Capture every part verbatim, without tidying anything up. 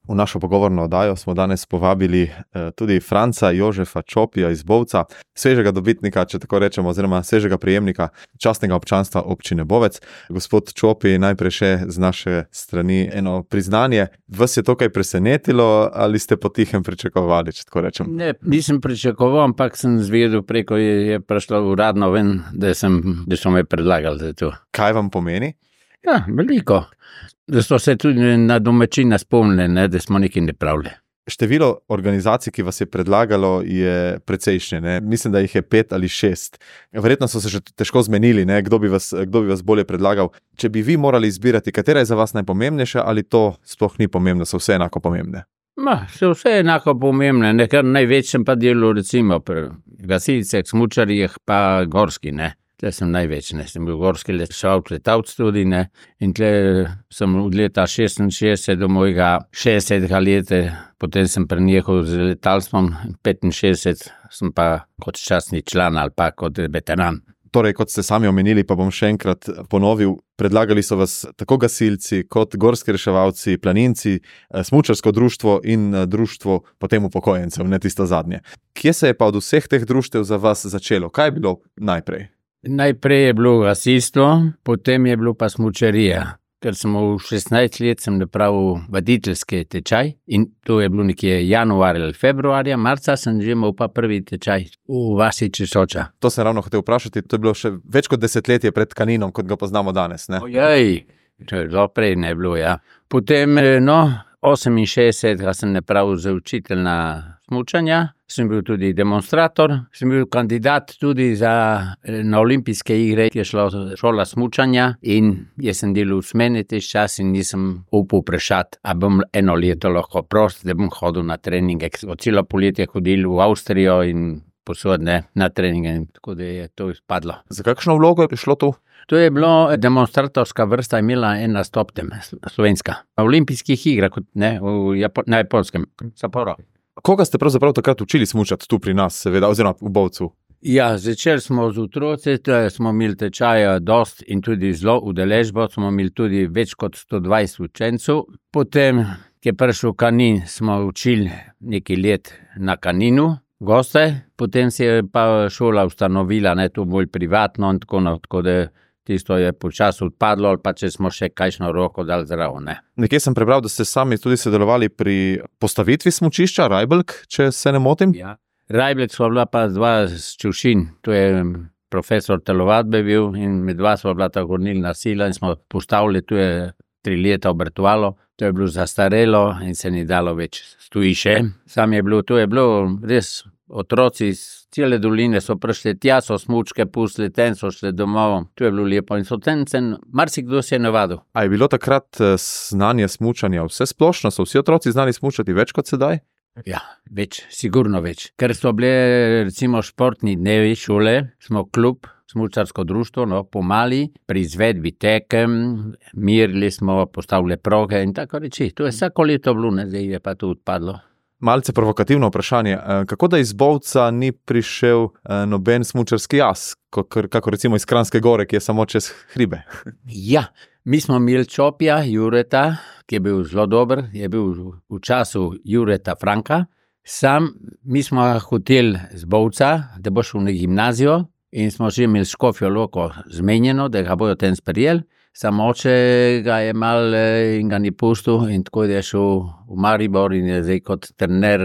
V našo pogovorno oddajo smo danes povabili eh, tudi Franca Jožefa Čopija iz Bovca, svežega dobitnika, če tako rečemo, oziroma svežega prejemnika častnega občanstva občine Bovec. Gospod Čopi, najprej še z naše strani eno priznanje. Vas je to kaj presenetilo ali ste potihem pričakovali, če tako rečem? Ne, nisem pričakoval, ampak sem zvedel preko, je, je prišlo uradno ven, da, sem, da so me predlagali za to. Kaj vam pomeni? Ja, veliko. Da so se tudi na domačina spomnili, ne, da smo nekaj napravili. Število organizacij, ki vas je predlagalo, je precejšnje. Ne? Mislim, da jih je pet ali šest. Verjetno so se že težko zmenili, ne? Kdo bi vas, kdo bi vas bolje predlagal. Če bi vi morali izbirati, katera je za vas najpomembnejša, ali to sploh ni pomembno, so vse enako pomembne? Ma, so vse enako pomembne, ne, ker največ sem pa delal recimo pri gasilcih, smučarjih pa gorski, ne. Tle sem največ, ne, sem bil gorski lešalc, letavc tudi, ne, in tle sem od leta šestinšestdeset do mojega šestdesetega leta, potem sem prenehal z letalstvom, petinšestdeset sem pa kot častni član ali pa kot veteran. Torej, kot ste sami omenili, pa bom še enkrat ponovil, predlagali so vas tako gasilci, kot gorski reševalci, planinci, smučarsko društvo in društvo potem upokojencev, ne tisto zadnje. Kje se je pa od vseh teh društev za vas začelo? Kaj je bilo najprej? Najprej je bilo gasilstvo, potem je bilo pa smučarija. Ker sem v šestnajst let sem napravil vaditeljski tečaj in to je bilo nekje januarja ali februarja, marca sem že imel pa prvi tečaj v vasi Česoča. To sem ravno hotel vprašati, to je bilo še več kot desetletje pred Kaninom, kot ga poznamo danes, ne? Ojej, to je zelo prej ne bilo, ja. Potem, no, oseminšestdesetega sem napravil za učiteljna smučanja, sem bil tudi demonstrator, sem bil kandidat tudi za na olimpijske igre, ki je šla šola smučanja in jaz sem delal v smeni te čas in nisem upal vprašati, a bom eno leto lahko prost, da bom hodil na treninge. Od celo poletje hodil v Avstrijo in posod, ne, na treninge, tako da je to izpadlo. Za kakšno vlogo je prišlo to? To je bilo demonstratorska vrsta, imela ena stoptem, slovenska. Na olimpijskih igrah, ne, v Japo- na Japonskem, Sapporo. Koga ste pravzaprav takrat učili smučati tu pri nas, seveda, oziroma v Bovcu? Ja, začeli smo z otroci, smo imeli tečaja dost in tudi zelo udeležbo, smo imeli tudi več kot sto dvajset učencev. Potem, ki je prišel Kanin, smo učili nekaj let na Kaninu, goste, potem se je pa šola ustanovila, ne, to bolj privatno in tako, no, tako da tisto je počasi odpadlo, ali pa če smo še kakšno roko dali zraven, ne. Nekje sem prebral, da ste sami tudi sodelovali pri postavitvi smučišča Rajbelk, če se ne motim? Ja. Rajbelk sva bila pa dva z Čevšin, to je profesor telovadbe bil in med dva sva bila ta gonilna sila in smo postavili, tu je tri leta obratovalo, to je bilo zastarelo in se ni dalo več stoji še. Sam je bilo, to je bilo res, otroci iz cele doline so prišli tja, so smučke pustili, ten so šli domov, to je bilo lepo in so ten, ten marsikdo se je navadil. A je bilo takrat znanje smučanja vse splošno, so vsi otroci znali smučati več kot sedaj? Ja, več, sigurno več. Ker so bile recimo športni dnevi šole, smo klub, smučarsko društvo, no, pomali, pri izvedbi tekem, mirili smo, postavili proge in tako reči. To je vsako leto bilo, ne, zdaj je pa to odpadlo. Malce provokativno vprašanje, kako da iz Bovca ni prišel noben smučarski jaz, kako recimo iz Kranjske gore, ki je samo čez hribe? Ja, mi smo imeli Čopija, Jureta, ki je bil zelo dober, je bil v času Jureta Franka. Sam, mi smo hoteli z Bovca, da bo šel na gimnazijo in smo že imeli Škofjo Loko zmenjeno, da ga bojo ten sprejeli. Samo oče ga je mal in ga ni pustil in tako je šel v Maribor in je zdaj kot trener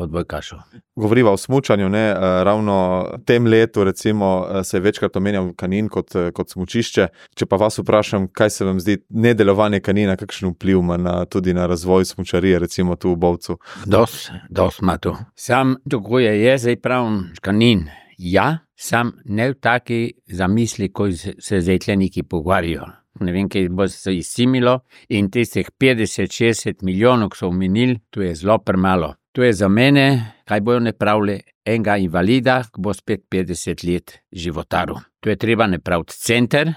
odbojkašov. Govoriva o smučanju, ne, ravno tem letu recimo se je večkrat omenjal Kanin kot, kot smučišče. Če pa vas vprašam, kaj se vam zdi nedelovanje Kanina, kakšen vpliv ima na, tudi na razvoj smučarije recimo tu v Bovcu? Dost, dost ima to. Sam tako je, je zdaj pravim Kanin. Ja, sam ne v taki zamisli, ko se zdaj tle neki pogovarjajo. Ne vem, kaj bo se izsimilo in tistih petdeset šestdeset milijonov, ki so omenili, to je zelo premalo. To je za mene, kaj bojo napravili, enega invalida, ki bo spet petdeset let životaril. To je treba napraviti center,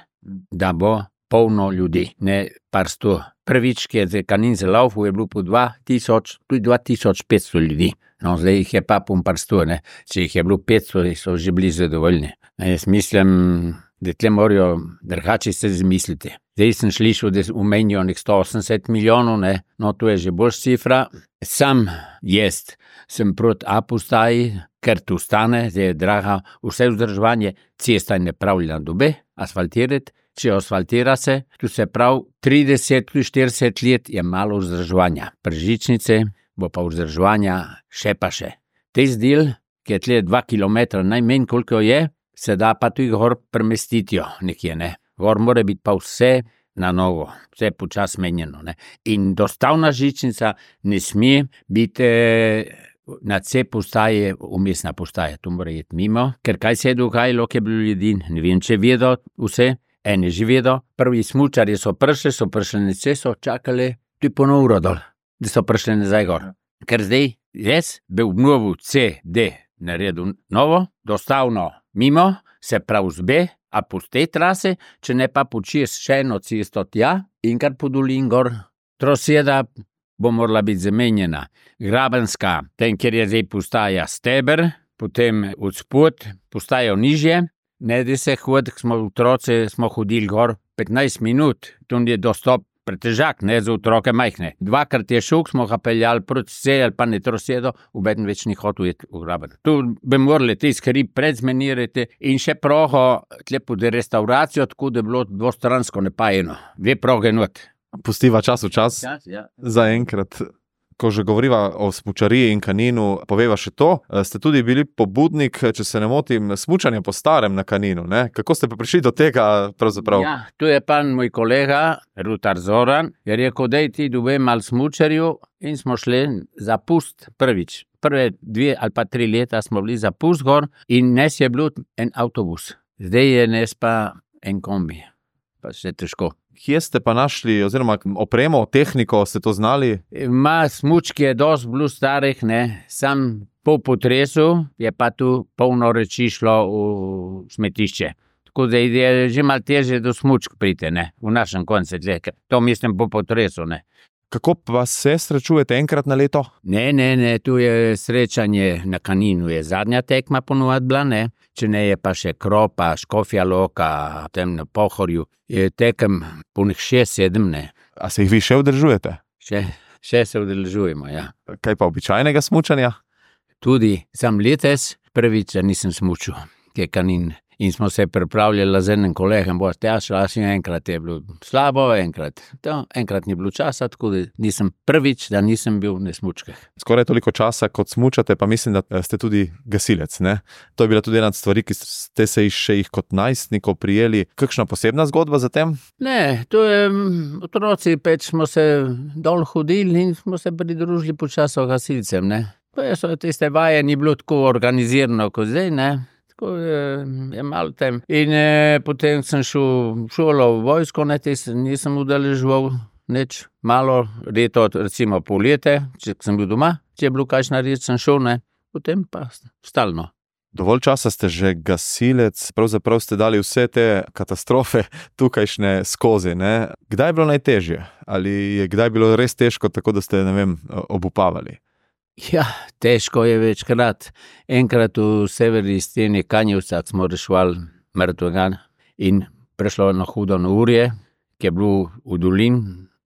da bo polno ljudi, ne par sto. Prvič, ki je Kanin zalaufal, je bilo po dva tisoč, tudi dva tisoč petsto ljudi. No, zdaj jih je pa pun par sto, ne. Če jih je bilo petsto, so že bili zadovoljni. Jaz mislim, da tle morajo drugače se zmisliti. Zdaj sem slišal, da umenijo nek sto osemdeset milijonov, ne? No, to je že boljša cifra. Sam jaz sem proti A postaji, ker tu stane, zdaj je draga, vse vzdrževanje, cesta je nepravljena dobe, asfaltirati, če asfaltira se, tu se prav trideset, štirideset let je malo vzdrževanja. Pržičnice bo pa vzdrževanja še pa še. Te zdel, ki je tle dva kilometra najmanj, koliko je, se da pa tudi gor premestitijo nekje, ne. Gor mora biti pa vse na novo, vse počas menjeno, ne. In dostavna žičnica ne sme biti na C postaje, umestna postaja, to mora iti mimo, ker kaj se je dogajalo, ki je bilo ljudi, ne vem, če vedo vse, eni že vedo, prvi smučarji so prišli, so prišli na C, so čakali tudi po uro dol, da so prišli nazaj gor. Ker zdaj, jaz bi obnovil C, D, naredil novo, dostavno mimo, se pravi z B, a po tej trase, če ne pa počes še eno cesto tja, in kar po dolin gor, troseda bo morala biti zamenjena. Grabenska, tem, kjer je zdaj postaja steber, potem od spod postajo nižje, ne da se hod, smo otroci, smo hodili gor petnajst minut, tu je dostop pretežak, ne, za otroke majhne. Dvakrat je šel, smo ga peljali proti C ali pa ne trosedo, obeden več ni hotel iti v graben. Tu bi morali te skrip predzmenirati in še progo tle pod restauracijo, tako da je bilo dvostransko napajeno. Dve proge not. Pustiva čas v čas, Ja, ja. za enkrat. Ko že govoriva o smučariji in Kaninu, poveva še to, ste tudi bili pobudnik, če se ne motim, smučanja po starem na Kaninu, ne? Kako ste pa prišli do tega pravzaprav? Ja, tu je pa moj kolega, Rutar Zoran, je rekel, daj ti dobe mal smučarju in smo šli za pust prvič. Prve dve ali pa tri leta smo bili za pust gor in nes je bil en avtobus. Zdaj je nes pa en kombi, pa še težko. Kje ste pa našli, oziroma opremo, tehniko, ste to znali? Ma smučki je dosti bilo starih, ne, sam po potresu je pa tu polno reči šlo v smetišče. Tako da je že malo težje do smučk priti, ne, v našem koncu, to mislim po potresu, ne. Kako pa se srečujete enkrat na leto? Ne, ne, ne, tu je srečanje na Kaninu, je zadnja tekma ponovadi bila, ne, če ne je pa še Kropa, Škofja Loka, tem na Pohorju, je tekem punih šest, sedem, ne. A se jih vi še udržujete? Še, še se udržujemo, ja. Kaj pa običajnega smučanja? Tudi sam letos prvič nisem smučil, ki je Kanin. In smo se pripravljali z enim kolegom, bo tjašla, enkrat je bilo slabo, enkrat, to, enkrat ni bilo časa, tako da nisem prvič, da nisem bil na smučkah. Skoraj toliko časa, kot smučate, pa mislim, da ste tudi gasilec, ne? To je bila tudi ena od stvari, ki ste se še jih kot najstnikov prijeli. Kakšna posebna zgodba za tem? Ne, to je, otroci peč smo se dol hodili in smo se pridružili počasno gasilcem, ne. To je, so tiste vaje ni bilo tako organizirano kot zdaj, ne. Je, je malo tem. In e, potem sem šel šolo v vojsko, ne, te nisem udeleževal nič, malo leto, recimo pol leta, če sem bil doma, če je bilo kakšna reč, sem šel, ne, potem pa stalno. Dovolj časa ste že gasilec, pravzaprav ste dali vse te katastrofe tukajšnje skozi, ne. Kdaj je bilo najtežje? Ali je kdaj bilo res težko, tako da ste, ne vem, obupavali? Ja, težko je večkrat. Enkrat v severni steni Kanjevca smo reševali mrtvega in prišlo na hudo neurje, ki je bilo v dolin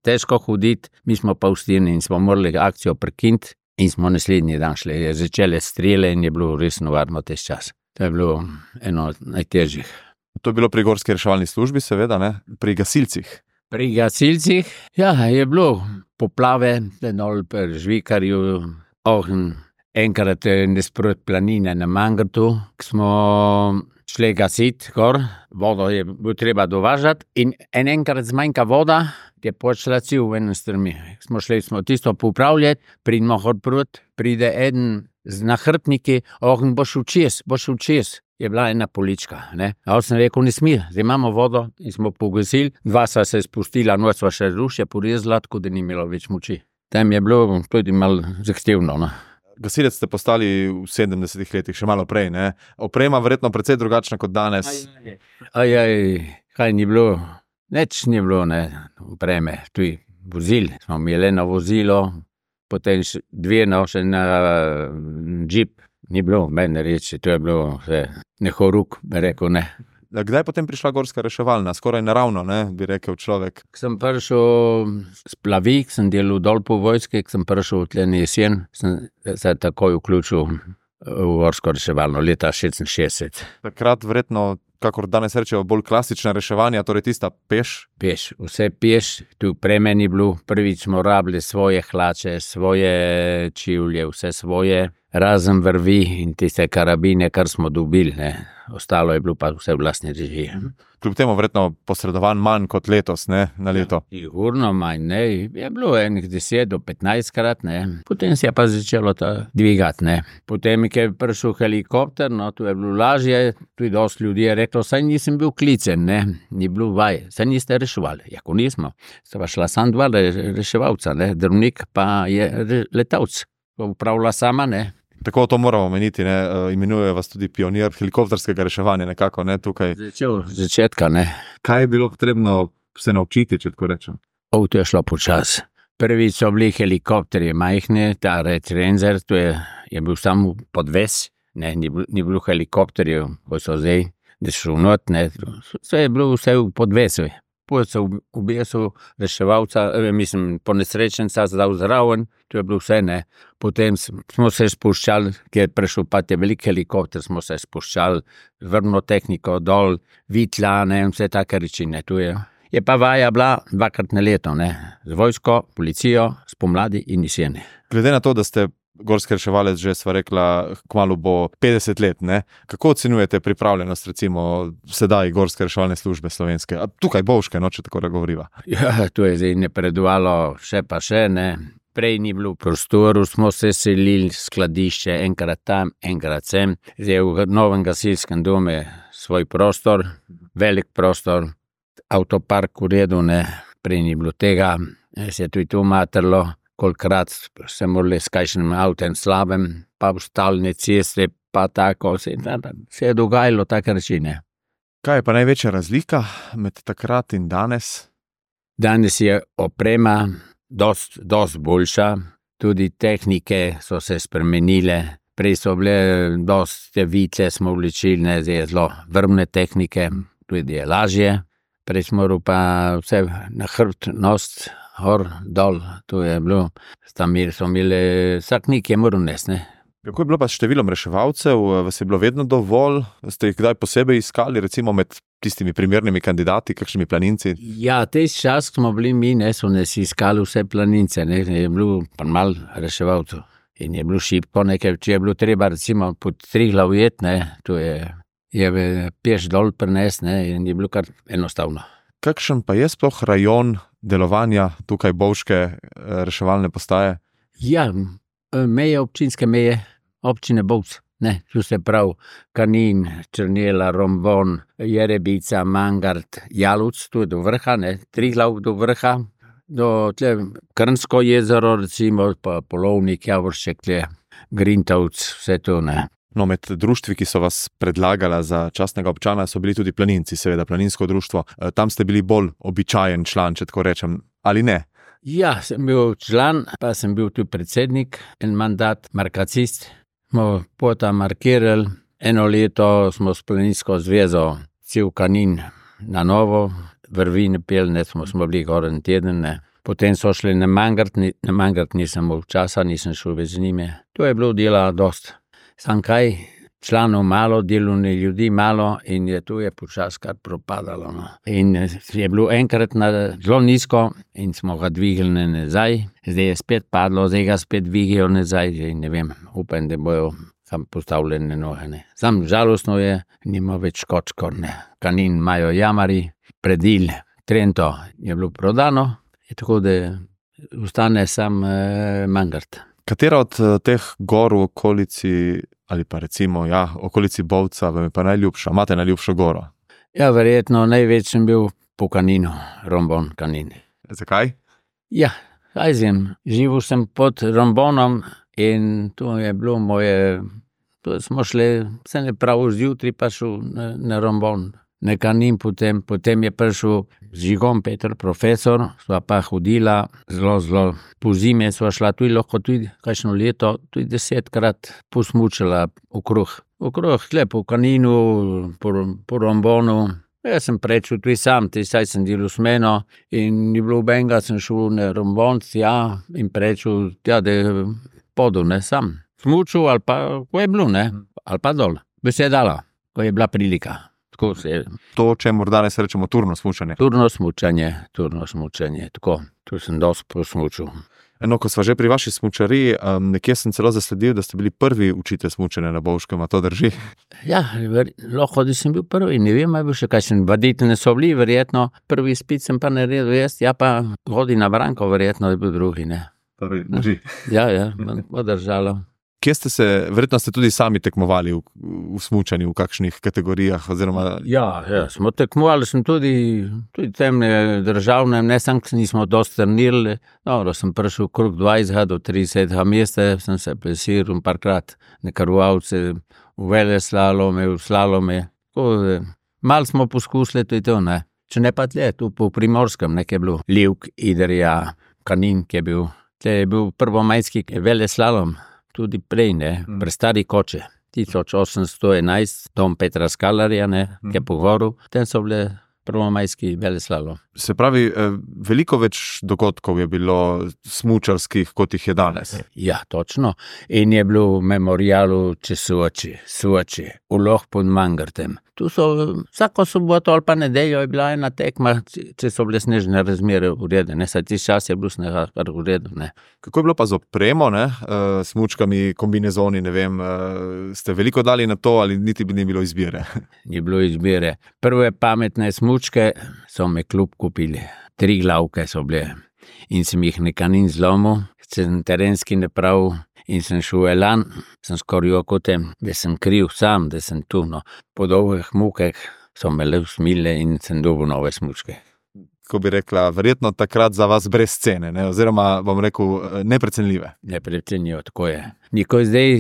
težko hoditi, mi smo pa v steni in smo morali akcijo prekiniti in smo naslednji dan šli. Je začele strele in je bilo res nevarno tež čas. To je bilo eno od najtežjih. To je bilo pri gorski reševalni službi, seveda, ne? Pri gasilcih. Pri gasilcih, ja, je bilo poplave, dol pri Žvikarju, ogen, enkrat nasprot planine na Mangrtu, smo šli gasit gor, vodo je bilo treba dovažati in en enkrat zmanjka voda, je počela cel v enem strmi. Smo šli, smo tisto popravljati, pridemo hod prot, pride eden z nahrbtniki, ogen, boš včes, boš včes. Je bila ena polička, ne. A sem rekel, ne smi, zdaj imamo vodo in smo pogasili, dva sva se spustila, noč sva še rušje porezala, tako da ni imelo več moči. Tam je bilo tudi malo zahtevno, no. Gasilec ste postali v sedemdesetih letih, še malo prej, ne? Oprema verjetno precej drugačna kot danes. Aj, aj, kaj ni bilo, nič ni bilo, ne, opreme, tudi vozil, smo imeli eno vozilo, potem dve no, še na džip, ni bilo mene reči, to je bilo vse, ne horuk, bi rekel, ne. Kdaj je potem prišla gorska reševalna? Skoraj naravno, ne, bi rekel človek. Ko sem prišel s Plavik, sem delal dol po vojski, ko sem prišel tle na jesen, sem se takoj vključil v gorsko reševalno leta šestinšestdeset. Takrat verjetno, kakor danes rečejo, bolj klasična reševanja, torej tista peš. Peš, vse peš, tu preme ni bilo, prvič smo rabili svoje hlače, svoje čivlje, vse svoje, razen vrvi in tiste karabine, kar smo dobili, ne. Ostalo je bilo pa vse v vlastni režiji. Kljub temu verjetno posredovan manj kot letos, ne, na leto. Sigurno manj, ne, je bilo enih deset do petnajst krat, ne, potem se je pa začelo to dvigati, ne. Potem, ko je prišel helikopter, no, tu je bilo lažje, tudi dosti ljudi je reklo, saj nisem bil klicen, ne, ni bilo vaj, saj niste reševali. Jako nismo, sta pa šla sam dva reševalca, ne, drvnik pa je letalc, upravila sama, ne. Tako to moramo omeniti, ne, imenuje vas tudi pionir helikopterskega reševanja nekako, ne, tukaj. Začel začetka, ne. Kaj je bilo potrebno se naučiti, če tako rečem? O, to je šlo počas. Prvič so bili helikopterji majhni, ta Red Ranger, to je, je bil samo podves, ne, ni, ni bilo helikopterjev, ko so zdaj, da šel not, ne, vse je bilo vse v podvesu. Potem so v besu reševalca, mislim, ponesrečenca zdal zraven, to je bilo vse, ne. Potem smo se spuščali, ker je prišel pa te velik helikopter, smo se spuščali, vrno tehniko dol, vitla, ne, vse take reči, ne, tu je. Je pa vaja bila dvakrat na leto, ne, z vojsko, policijo, spomladi in jeseni. Glede na to, da ste gorski reševalec, že sva rekla, kmalu bo petdeset let, ne? Kako ocenjujete pripravljenost, recimo, sedaj gorske reševalne službe slovenske? A tukaj Bovške, no, če tako govoriva. Ja, to je zdaj napredovalo še pa še, ne. Prej ni bilo prostoru, smo se selili skladišče, enkrat tam, enkrat sem. Zdaj v novem gasilskem domu je svoj prostor, velik prostor, avtopark v redu, ne. Prej ni bilo tega, se je tudi to matrlo. Kolikrat se morali s kakšnim avtem slabem, pa v stalne ceste, pa tako, se, se je dogajalo take reči, ne. Kaj je pa največja razlika med takrat in danes? Danes je oprema dost, dost boljša, tudi tehnike so se spremenile, prej so bile dost te vitle smo vlečili, ne, zdaj je zelo vrvne tehnike, tudi je lažje, prej smo pa vse na hrbt nost, hor, dol, to je bilo, tam so imeli, vsak nik je moral nesti, ne. Kako je bilo pa s številom reševalcev, vas je bilo vedno dovolj, ste jih kdaj posebej iskali, recimo med tistimi primernimi kandidati, kakšnimi planinci? Ja, tej čas, ko smo bili mi, ne, so nas iskali vse planince, ne, je bilo pa malo reševalcev in je bilo šibko, nekaj, če je bilo treba recimo pod Triglav jet, ne, to je, je peš dol prines, ne, in je bilo kar enostavno. Kakšen pa je sploh rajon delovanja tukaj Bovške reševalne postaje? Ja, meje, občinske meje, občine Bovc, ne, tu se prav Kanin, Črnela, Rombon, Jerebica, Mangart, Jaluc, tu je do vrha, ne, Triglav do vrha, do tle Krnsko jezero, recimo, pa Polovnik, Javoršek, tle, Grintovc, vse to, ne. No, med društvi, ki so vas predlagala za častnega občana, so bili tudi planinci, seveda, planinsko društvo. Tam ste bili bolj običajen član, če tako rečem, ali ne? Ja, sem bil član, pa sem bil tudi predsednik, en mandat, markacist. Smo potem markirali, eno leto smo s planinsko zvezo cel Kanin na novo, vrvine pelne, smo, smo bili gor en teden, ne. Potem so šli na Mangart, na Mangart nisem imel časa, nisem šel več z njimi. To je bilo dela dost. Sam kaj, članov malo, delovni ljudi malo in je tu je počas kar propadalo, no. In je bilo enkrat na zelo nizko in smo ga dvigali nazaj, zdaj je spet padlo, zdaj ga spet dvigajo nazaj in ne vem, upam, da bojo sam postavljene noge, ne. Sam žalostno je, nima več kočkor, ne. Kanin imajo jamari, Predil, Trento je bilo prodano, je tako, da ostane sam eh, Mangart. Katera od teh gor v okolici, ali pa recimo, ja, okolici Bovca, vam je pa najljubša? Imate najljubšo goro? Ja, verjetno največ sem bil po Kaninu, Rombon, Kanin. Zakaj? Ja, kaj zim, živel sem pod Rombonom in to je bilo moje, to smo šli, se ne prav zjutraj pa šel na, na Rombon, na Kanin, potem, potem je prišel z Žigom Peter, profesor, sva pa hodila zelo, zelo po zime, sva šla tudi lahko tudi kakšno leto, tudi desetkrat posmučala okrog. Okrog, tle po Kaninu, po, po Rombonu. Jaz sem prečil tudi sam, tudi saj sem delal s meno in ni bilo benga, sem šel na Rombon, ja, in prečil, ja, da je podel, ne, sam. Smučil ali pa, ko je bilo, ne, ali pa dol. Bi se je dala, ko je bila prilika. Tako se je. To, čemu danes rečemo turno smučanje. Turno smučanje, turno smučanje, tako. Tu sem dosti posmučil. No, ko sva že pri vaši smučariji, um, nekje sem celo zasledil, da ste bili prvi učitelj smučanja na Bovškem, a to drži? Ja, ver, lahko, da sem bil prvi, ne vem, ali bo še kakšen vaditelj so bili, verjetno. Prvi izpit sem pa naredil jaz, ja pa hodi na Branko, verjetno je bil drugi, ne. Torej, drži. Ja, ja, bo držalo. Kje ste se, verjetno ste tudi sami tekmovali v, v smučanju, v kakšnih kategorijah, oziroma... Ja, ja, smo tekmovali, sem tudi, tudi temne državne, ne sam, nismo dosti trenirali. Dobro, sem prišel krog dvajset do trideset mesta, sem se plesiral parkrat na Karvavce, v veleslalome, v slalome. Tako, malo smo poskusili tudi to, ne. Če ne pa tle, tu po Primorskem, nekaj je bilo. Livk, Idrija, Kanin, ki je bil. Tle je bil prvomajski veleslalom. Tudi prej, ne, pri stari Koče, tisoč osemsto enajst, dom Petra Skalarja, ne, ki je pogovoril, tem so bile prvomajski veleslalom. Se pravi, veliko več dogodkov je bilo smučarskih, kot jih je danes. Ja, točno. In je bilo v memorialu čez Suoči, Suoči, v Loh pod Mangartem. Tu so, vsako soboto ali pa nedeljo je bila ena tekma, če so bile snežne razmere uredene, saj tisti čas je bilo snega uredene. Kako je bilo pa z opremo, ne, uh, smučkami, kombinezoni, ne vem, uh, ste veliko dali na to ali niti ni bilo izbire? Ni bilo izbire. Prve pametne smučke so me klub kupili. Tri glavke so bile in sem jih na Kanin zlomil, sem terenski napravil in sem šel elan, sem skoril okotem, da sem kriv sam, da sem tu, no. Po dolgih mukah so me le usmile in sem dobil nove smučke. Ko bi rekla, verjetno takrat za vas brez cene, ne? Oziroma, bom rekel, neprecenljive. Neprecenljivo, tako je. Nikoj zdaj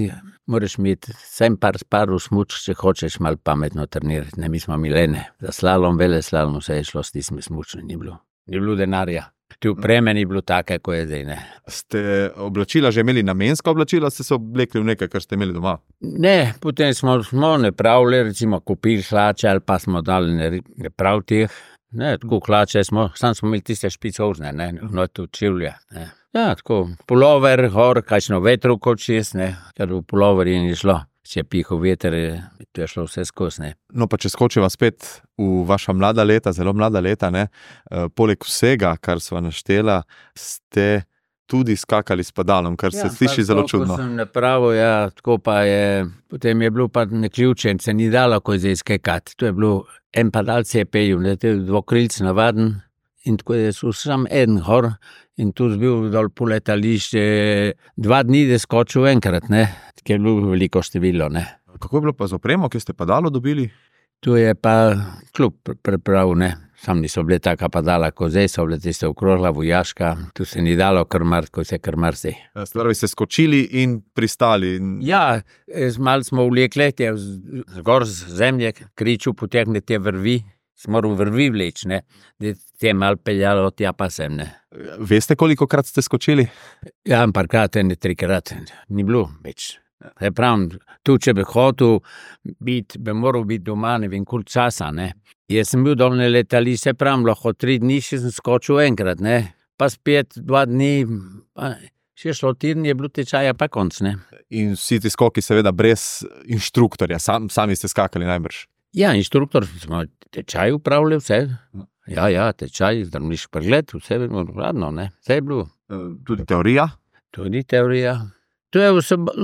moraš imeti sem par sparov smučk, če hočeš malo pametno trenirati, ne, mi smo milene. Za slalom, veleslalom, vse je šlo s tistimi smučmi, ni bilo. Ni bilo denarja. Ti opreme ni bilo take, ko je zdaj, ne. Ste oblačila že imeli namenska oblačila, ste se oblekli v nekaj, kar ste imeli doma? Ne, potem smo, smo ne pravili, recimo kupili hlače ali pa smo dali ne, ne prav teh. Ne, tako hlače smo, sam smo imeli tiste špicovne, ne, no to čivlje, ne. Ja, tako, pulover, gor, kakšno vetru kot šest, ne, ker v puloverji ni šlo. Če je pihal veter, to je šlo vse skozi, ne. No, pa če skočiva spet v vaša mlada leta, zelo mlada leta, ne, poleg vsega, kar sva naštela, ste tudi skakali s padalom, kar se ja, sliši zelo čudno. Ja, sem napravil, ja, tako pa je, potem je bilo pa neključen, se ni dalo, ko je zdaj skakati. To je bilo, en padal se je peljil, ne, to je dvokrilc navaden, in tako je sam en gor, in tu je bil dol po letališče, dva dni je skočil enkrat, ne, ker je bilo veliko število, ne. Kako je bilo pa z opremo, ki ste padalo dobili? Tu je pa klub pripravil, ne, sam niso bile taka padala, ko zdaj so bile tiste okrogla, vojaška, tu se ni dalo krmar, ko se krmar se. Stvari ste skočili in pristali. Ja, malo smo vlekli, zgor z zemlje, kriču potegne te vrvi, smo moral vrvi vleč, ne, da te malo peljalo tja pa sem, ne. Veste, koliko krat ste skočili? Ja, parkrat, ne trikrat, ni bilo več. Je pravim, tu, če bi hotel biti, bi moral biti doma, ne vem, koliko časa, ne. Jaz sem bil dol na letališče, pravim, lahko tri dni še sem skočil enkrat, ne, pa spet dva dni, pa še šlo teden, je bilo tečaja pa konc, ne. In vsi ti skoki seveda brez inštruktorja, Sam, sami ste skakali najbrž. Ja, inštruktor, smo tečaj upravljali vse. Ja, ja, tečaj, zdravniški pregled, vse je bilo radno, ne, vse je bilo. Tudi teorija? Tudi teorija. To je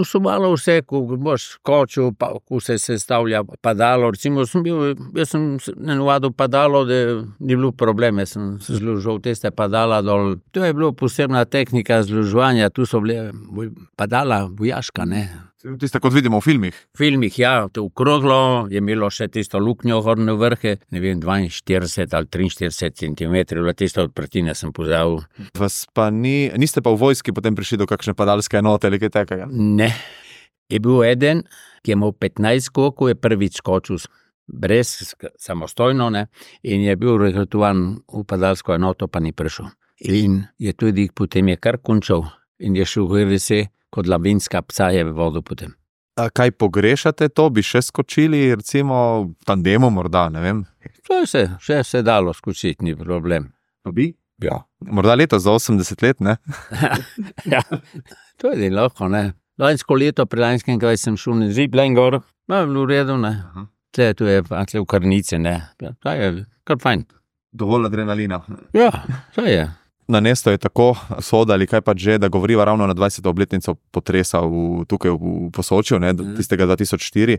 vsebalo vse, ko boš skočil, pa, ko se sestavlja padalo, recimo sem bil, jaz sem nenavadil padalo, da ni bilo probleme, sem zložil tiste padala dol. To je bilo posebna tehnika zložovanja, tu so bile padala vojaška, ne. Tiste, kot vidimo v filmih. V filmih, ja, to okroglo, je imelo še tisto luknjo gorne vrhe, ne vem, dvainštirideset ali triinštirideset centimetrov, tisto odprtine sem pozabil. Vas pa ni, niste pa v vojski potem prišli do kakšne padalske enote ali kaj takega? Ne. Je bil eden, ki je imel petnajst skokov, je prvič skočil brez, samostojno, ne, in je bil rekrutovan v padalsko enoto, pa ni prišel. In je tudi potem je kar končal in je šel v R S, kot lavinska psa je v vodu potem. A kaj pogrešate to? Bi še skočili, recimo v tandemu morda, ne vem? To je se, še se dalo skočiti, ni problem. Pa bi? Ja. Morda leto za osemdeset let, ne? Ja, to je lahko, ne. Lansko leto, pri lanskem, kaj sem šel na ziplen gor, no, je bilo v redu, ne. Tle, tu je pa tle v Karnici, ne. To je kar fajn. Dovolj adrenalina. Ja, to je. Na Nesto je tako soda ali kaj pa že, da govoriva ravno na dvajseto obletnico potresa v, tukaj v Posočju, ne, tistega dva tisoč štiri.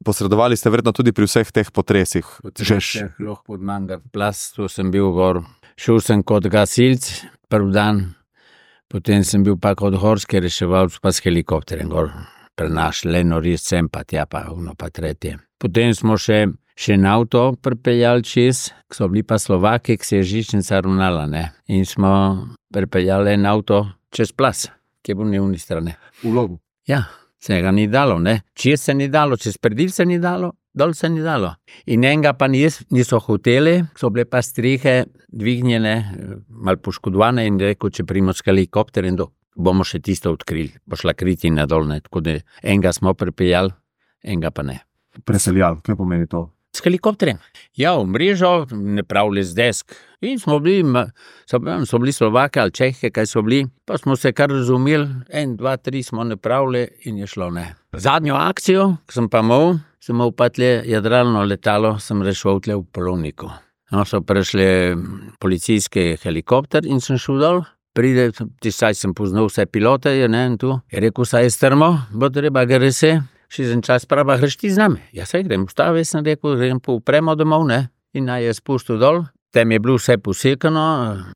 Posredovali ste verjetno tudi pri vseh teh potresih. Potrese, lahko pod Mangar plas, tu sem bil gor. Šel sem kot gasilc, prvi dan, potem sem bil pa kot gorski reševalc, pa s helikopterjem gor. Prenašli eno res sem, pa tja pa ono pa tretje. Potem smo še še na avto pripeljali čez, ko so bili pa Slovaki, ki se je žičnica ravnala, ne. In smo pripeljali en avto čez plas, ki je bil na uni strani. V Logu? Ja, se ga ni dalo, ne. Čez se ni dalo, čez predil se ni dalo, dol se ni dalo. In enega pa nis, niso hoteli, so bile pa strihe dvignjene, malo poškodovane in rekel, če primo s helikopterjem, bomo še tisto odkrili, bo šla kriti na dol, ne. Tako da enega smo pripeljali, enega pa ne. Preseljali, kaj pomeni to? S helikopterjem. Ja, v mrežo, ne pravili z desk. In smo bili, so, so bili Slovake ali Čehe, kaj so bili, pa smo se kar razumeli, en, dva, tri smo ne pravili in je šlo, ne. Zadnjo akcijo, ko sem pa imel, sem imel pa tle jadralno letalo, sem rešil tle v Polovniku. No, so prišli policijski helikopter in sem šel dol. Pride, tisaj sem poznal vse pilote, je ne, in tu. Je rekel, saj je strmo, bo treba ga rese. Še za čas prava, greš ti z nami? Ja, saj grem, ustavi, sem rekel, grem pa upremo domov, ne, in naj je spustil dol. Tem je bilo vse posekano,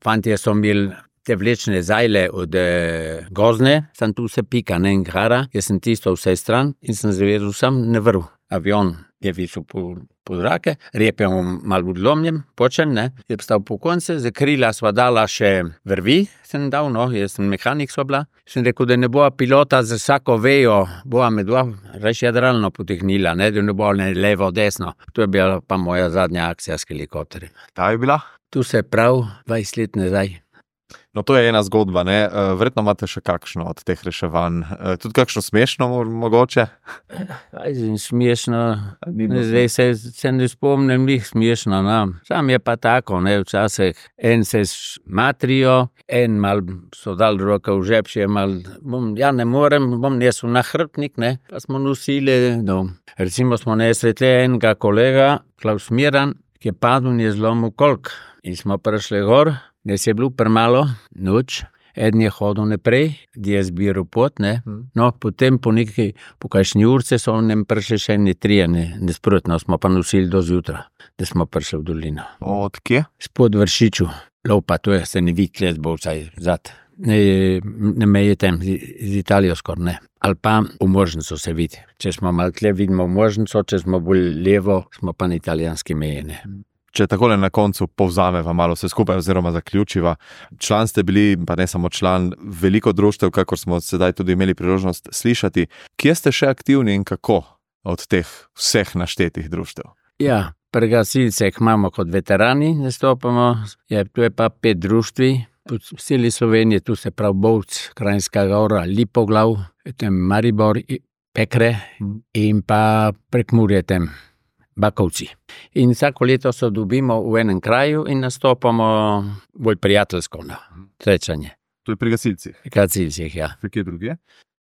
fantje so imeli te vlečne zajle od eh, gozne, sem tu se pika, ne, in gara, jaz sem tisto vse stran in sem zavedel sam ne vrv. Avion je visel po, po zrake, rep je malo odlomljen, počen, ne, je stal po konce, za krila sva dala še vrvi, sem dal, no, jaz sem mehanik sva bila, sem rekel, da ne bo pilota za vsako vejo, bova me dva reč jadralno potehnila, ne, da ne bo ne levo, desno. To je bila pa moja zadnja akcija s helikopterjem. Ta je bila? Tu se prav dvajset let nazaj. No, to je ena zgodba, ne, verjetno imate še kakšno od teh reševanj, tudi kakšno smešno mogoče? Aj, smešno, zdaj se, se ne spomnim njih smešno, no. Sam je pa tako, ne, včasih en se matrijo, en mal so dal roka v žep, še mal, bom, ja ne morem, bom nesel na hrbtnik, ne, pa smo nosili, no. Recimo smo nesli tle enega kolega, Klaus Miran, ki je padel in je zlomil kolk. In smo prišli gor, nes je bilo premalo, noč, eden je hodil naprej, di je zbiral pot, ne, no, potem po nekaj, po kakšni urce so nam prišli še eni trije, ne, nesprotno, smo pa nosili do zjutra, da smo prišli v dolino. Od kje? Spod Vršiču, lopa, to je, se ne vidi kles, bo vsaj zad, ne, ne meje tem, z, z Italijo skor, ne, ali pa v Možnico se vidi, če smo malo tle, vidimo v Možnico, če smo bolj levo, smo pa na italijanski meji, ne. Če takole na koncu povzameva malo vse skupaj oziroma zaključiva, član ste bili, pa ne samo član, veliko društev, kakor smo sedaj tudi imeli priložnost slišati. Kje ste še aktivni in kako od teh vseh naštetih društev? Ja, pri gasilcih imamo kot veterani, nastopamo, je, tu je pa pet društvi, po celi Sloveniji, tu se prav Bovc, Kranjska Gora, Lipoglav, tem Maribor, Pekre in pa Prekmurje tem. Bakovci. In vsako leto se dobimo v enem kraju in nastopamo bolj prijateljsko na srečanje. To je pri gasilcih? Pri gasilcih, ja. Pri kje drugje?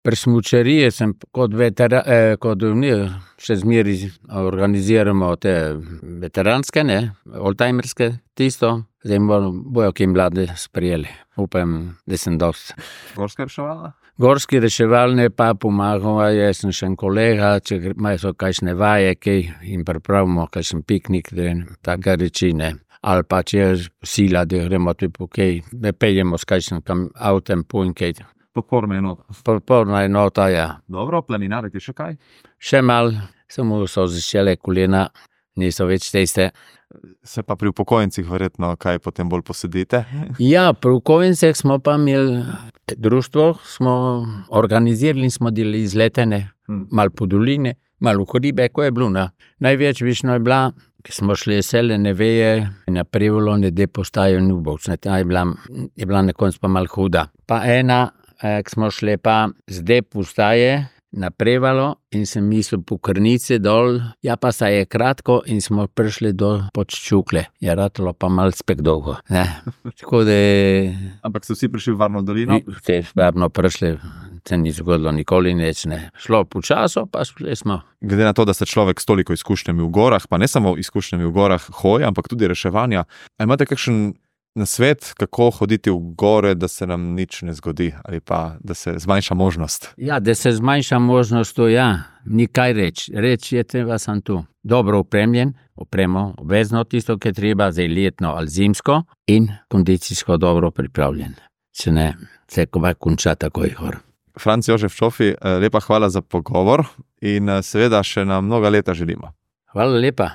Pri smučariji sem kot vetera, eh, kot mi še zmeri organiziramo te veteranske, ne, oldtimerske, tisto, zdaj bojo ki mlade sprijeli. Upam, da sem dost. Gorska reševalna? Gorski reševalne pa pomagajo, jaz sem še en kolega, če imajo kakšne vaje, kaj jim pripravimo, kakšen piknik, da taka reči, ne. Ali pa če je sila, da gremo tudi po kaj, da peljemo s kakšnim avtem po in kaj. Podporna enota. Podporna enota, ja. Dobro, planinariti še kaj? Še mal, samo so začele kolena, niso več teste. Se pa pri upokojencih verjetno kaj potem bolj posedite? Ja, pri upokojencih smo pa imeli društvo, smo organizirali in smo delali izletene, hmm. malo po doline, Malo Koribe, ko je bilo, ne. Največ višno je bila, ki smo šli sele Neveje na Prevolo, nede postajo Nubovc, ne, ta je bila, je bila na koncu pa malo huda. Pa ena, eh, ki smo šli pa zdaj postaje na Prevalo in sem mislil po Krnici dol, ja pa se je kratko in smo prišli do Podščukle. Je ratalo pa malo spek dolgo, ne. Tako da... Ampak so vsi prišli v Varno dolino? Te varno prišli, se ni zgodilo nikoli nič, ne. Šlo počaso, pa šli smo. Glede na to, da ste človek s toliko izkušnjami v gorah, pa ne samo izkušnjami v gorah hoje, ampak tudi reševanja, a imate kakšen nasvet, kako hoditi v gore, da se nam nič ne zgodi ali pa da se zmanjša možnost? Ja, da se zmanjša možnost, to ja, ni kaj reči. Reči je treba sam tu. Dobro opremljen, opremo, obvezno tisto, ki je treba, zdaj letno ali zimsko in kondicijsko dobro pripravljen. Če ne, se kova konča takoj gor. Franc Jožef Čofi, lepa hvala za pogovor in seveda še na mnoga leta želimo. Hvala lepa.